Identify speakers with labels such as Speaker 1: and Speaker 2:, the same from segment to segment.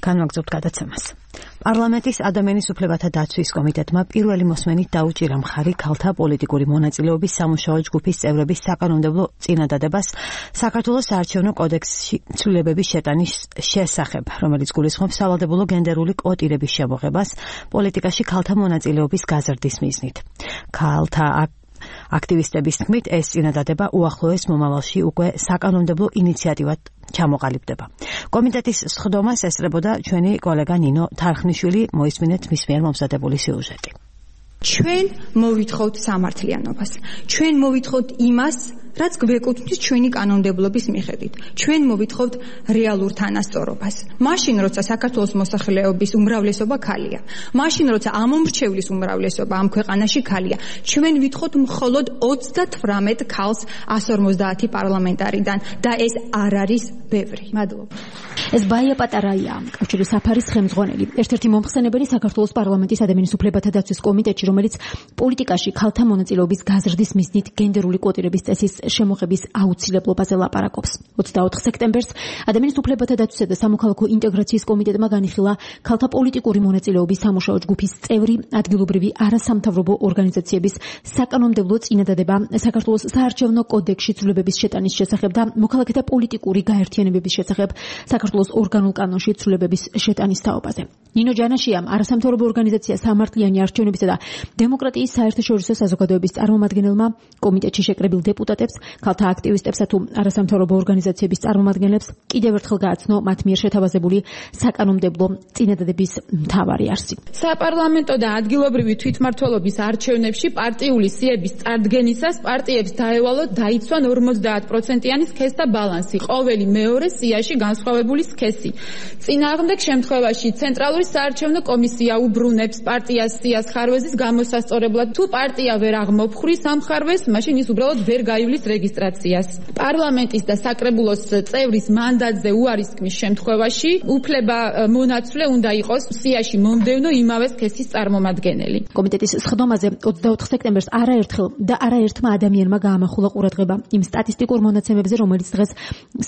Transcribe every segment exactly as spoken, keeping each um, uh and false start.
Speaker 1: განვაგრძობთ გადაცემას. პარლამენტის ადამიანის უფლებათა დაცვის კომიტეტმა პირველი მოსმენით დაუჭირა მხარი ქალთა პოლიტიკური მონაწილეობის სამუშაო ჯგუფის წევრების საკანონმდებლო წინადადებას საქართველოს საარჩევნო კოდექსში ცვლილებების შეტანის შესახებ, რომელიც გულისხმობს სავალდებულო გენდერული კვოტირების შემოღებას პოლიტიკაში ქალთა მონაწილეობის გაზრდის მიზნით. ქალთა აქტივისტების თქმით, ეს წინადადება უახლოეს მომავალში უკვე საკანონმდებლო ინიციატივად ჩამოყალიბდება. კომიტეტის სხდომას ესწრებოდა ჩვენი კოლეგა ნინო თარხნიშვილი, მოისმინეთ მის მიერ მომზადებული სიუჟეტი.
Speaker 2: ჩვენ მოვითხოვთ სამართლიანობას. ჩვენ მოვითხოვთ იმას, რაც გვეკუთვნის ჩვენი კანონმდებლობის მიხედვით. ჩვენ მოვითხოვთ რეალურ თანასწორობას. მაშინ, როცა საქართველოს მოსახლეობის უმრავლესობა ქალია, მაშინ, როცა ამომრჩევლის უმრავლესობა ამ ქვეყანაში ქალია, ჩვენ ვითხოვთ მხოლოდ ოცდათვრამეტ ქალს ასი ორმოცდაათი პარლამენტარიდან და ეს არ არის ბევრი. მადლობა.
Speaker 3: ეს ბაია პატარაია, კავშირის საფარის ხელმძღვანელი, ერთ-ერთი მომხსენებელი საქართველოს პარლამენტის ადამიანის უფლებათა დაცვის კომიტეტში, რომელიც პოლიტიკაში ქალთა მონაწილეობის გაზრდის მიზნით გენდერული კვოტირების წესის შემოღების აუცილებლობაზე ლაპარაკობს. ოცდაოთხ სექტემბერს ადამიანის უფლებათა დაცვისა და სამოქალაქო ინტეგრაციის კომიტეტმა განიხილა ქალთა პოლიტიკური მონაწილეობის სამუშაო ჯგუფის წევრი ადგილობრივი არასამთავრობო ორგანიზაციების საკანონმდებლო წინადადება საქართველოს საარჩევნო კოდექსში ცვლილებების შეტანის შესახებ და მოქალაქეთა პოლიტიკური გაერთიანებების შესახებ საქართველოს ორგანულ კანონში ცვლილებების შეტანის თაობაზე. ნინო ჯანაშიამ არასამთავრობო ორგანიზაცია სამართლიანი არჩევნებისა და დემოკრატიის საერთაშორისო საზოგადოების წარმომადგენელმა კომიტეტში შეკრებილ დეპუტატებს, ქალთა აქტივისტებსა თუ არასამთავრობო ორგანიზაციების წარმომადგენლებს კიდევ ერთხელ გააცნო მათ მიერ შეთავაზებული საკანონმდებლო წინადადების მთავარი არსი.
Speaker 4: საპარლამენტო და ადგილობრივი თვითმმართველობის არჩევნებში პარტიული სიების წარდგენისას პარტიებს დაევალოთ დაიცვან ორმოცდაათ პროცენტიანი სქესთა ბალანსი ყოველი მეორე სიაში განსხვავებული სქესი. წინააღმდეგ შემთხვევაში ცენტრალური საარჩევნო კომისია უბრუნებს პარტიას სიას ხარვეზის გამოსასწორებლად. თუ პარტია ვერ აღმოფხვრის ამ ხარვეზს, მაშინ ის უბრალოდ ვერ გაივლის რეგისტრაციას. პარლამენტის და საკრებულოს წევრის მანდატზე უარისქმის შემთხვევაში უფლება მონაცვლე უნდა იყოს სიაში მომდევნო იმავე სქესის წარმომადგენელი.
Speaker 3: კომიტეტის სხდომაზე ოცდაოთხ სექტემბერს არაერთხელ და არაერთმა ადამიანმა გაამახვილა ყურადღება იმ სტატისტიკურ მონაცემებზე, რომელიც დღეს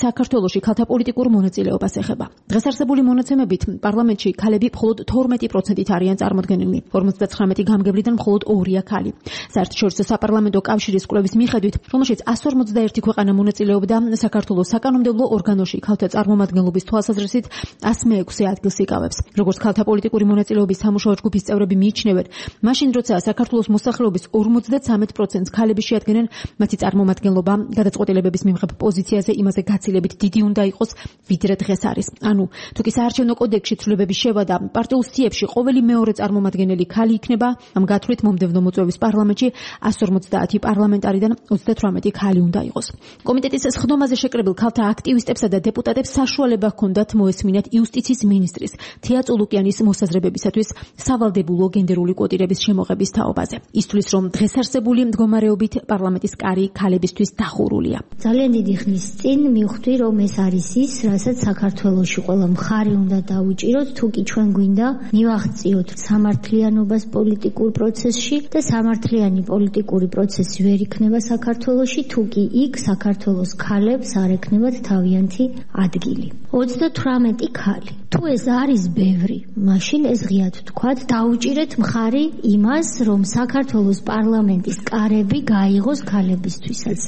Speaker 3: საქართველოში ქალთა პოლიტიკურ მონაწილეობას ეხება. დღეს არსებული მონაცემებით პარლამენტში ქალები მხოლოდ თორმეტი პროცენტით არიან წარმოდგენილნი. ორმოცდაცხრამეტი გამგებლიდან მხოლოდ ორია ქალი. საერთაშორისო საპარლამენტო კავშირის კვლევის მიხედვით, რომელშიც ასი ორმოცდაერთი ქვეყანა მონაწილეობდა, საქართველოს საკანონმდებლო ორგანოში ქალთა წარმომადგენლობის თვალსაზრისით ასი მეექვსე ადგილს იკავებს. როგორც ქალთა პოლიტიკური მონაწილეობის სამუშაო ჯგუფის წევრები მიიჩნევენ, მაშინ როცა საქართველოს მოსახლეობის ორმოცდათვრამეტ პროცენტს ქალები შეადგენენ, მათი წარმომადგენლობა გადაწყვეტილებების მიმღებ პოზიციაზე იმაზე გაცილებით დიდი უნდა იყოს, ვიდრე დღეს არის. ანუ, თუ კი საარჩევნო კოდექსში ცვლილებების შევადა პარტიულ სიებში ყოველი მეორე წარმომადგენელი ქალი იქნება, ამ გათვლით მომდევნო მოწვევის პარლამენტში ასი ორმოცდაათი პარლამენტარიდან ოცდათვრამეტი ქალი უნდა იყოს. კომიტეტის სხდომაზე შეკრებილ ქალთა აქტივისტებსა და დეპუტატებს საშუალება ჰქონდათ მოესმინათ იუსტიციის მინისტრის თია წულუკიანის მოსაზრებებისათვის სავალდებულო გენდერული კვოტირების შემოღების თაობაზე. ისთვის, რომ დღეს არსებული მდგომარეობით პარლამენტის კარი ქალებისთვის დახურულია.
Speaker 5: ძალიან დიდი ხნის წინ მივხვდი, რომ ეს არის ის, რასაც საქართველოში ყველა მხარე უნდა დაუჭიროთ, თუ კი ჩვენ გვინდა მივაღწიოთ სამართლიანობას პოლიტიკურ პროცესში და სამართლიანი პოლიტიკური პროცესი ვერ იქნება საქართველოში, თუ კი იქ საქართველოს ქალებს არ ექნებათ თავიანთი ადგილი. ოცდათვრამეტი ქალი. თუ ეს არის ბევრი, მაშინ ეს ღიად ვთქვათ, დაუჭირეთ მხარი იმას, რომ საქართველოს პარლამენტის კარები გაიღოს ქალებისთვისაც.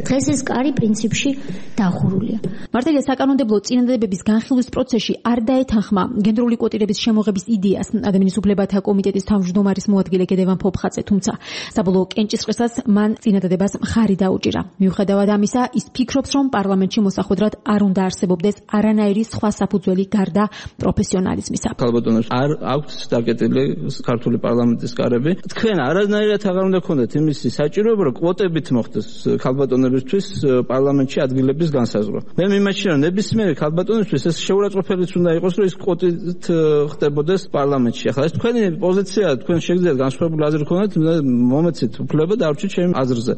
Speaker 5: დღეს ეს კარი პრინციპში დახურულია.
Speaker 3: მართალია საკანონმდებლო წინადადებების განხილვის პროცესში არ დაეთანხმა გენდერული კვოტირების შემოღების იდეას ადამიანის უფლებათა კომიტეტის თავმჯდომარის მოადგილე გედევან ფოფხაძე, თუმცა საბოლოო კენჭისყრისას მან წინადადებას მხარი დაუჭირა. მიუხედავად ამისა, ის ფიქრობს, რომ პარლამენტში მოსახვედრად არ უნდა არსებობდეს არანაირი სხვა საფუძველი გარდა პროფესიონალიზმისა.
Speaker 6: ქალბატონებს არ აქვთ დაკეტილი ქართული პარლამენტის კარები. თქვენ არანაირად აღარ უნდა გქონდეთ იმისი საჭიროება, რომ კვოტებით მოხდეს ქალბატონებისთვის პარლამენტში ადგილების განსაზღვრა. მე მიმაჩნია, რომ ნებისმიერი ქალბატონისთვის ეს შეურაცხყოფილიც უნდა იყოს, რომ ის კვოტით ხდებოდეს პარლამენტში. ახლა ეს თქვენი პოზიცია, თქვენ შეგიძლიათ განსხვავებული აზრი გქონდეთ, მომეცით უფლება დავრჩით ჩემ აზრზე.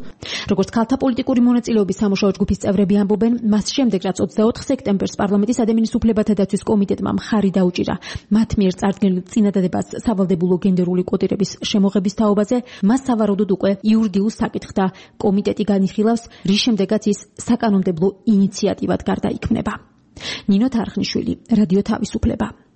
Speaker 3: როგორც ქალთა პოლიტიკური მონაწილეობის სამუშაო ჯგუფის წევრები ამბობენ, მას შემდეგ, რაც ოცდაოთხ სექტემბერს პარლამენტის ადამიანის უფლებათა დაცვის კომიტეტმა მხარი დაუჭირა მათ მიერ წარდგენილ წინადადებას სავალდებულო გენდერული კვოტირების შემოღების თაობაზე, მას სავარაუდოდ უკვე იურიდიულ საკითხთა კომიტეტი განიხილავს, რის შემდეგაც ის საკანონმდებლო ინიციატივად გარდაიქმნება. ნინო თარხნიშვილი, რადიო თავისუფლება.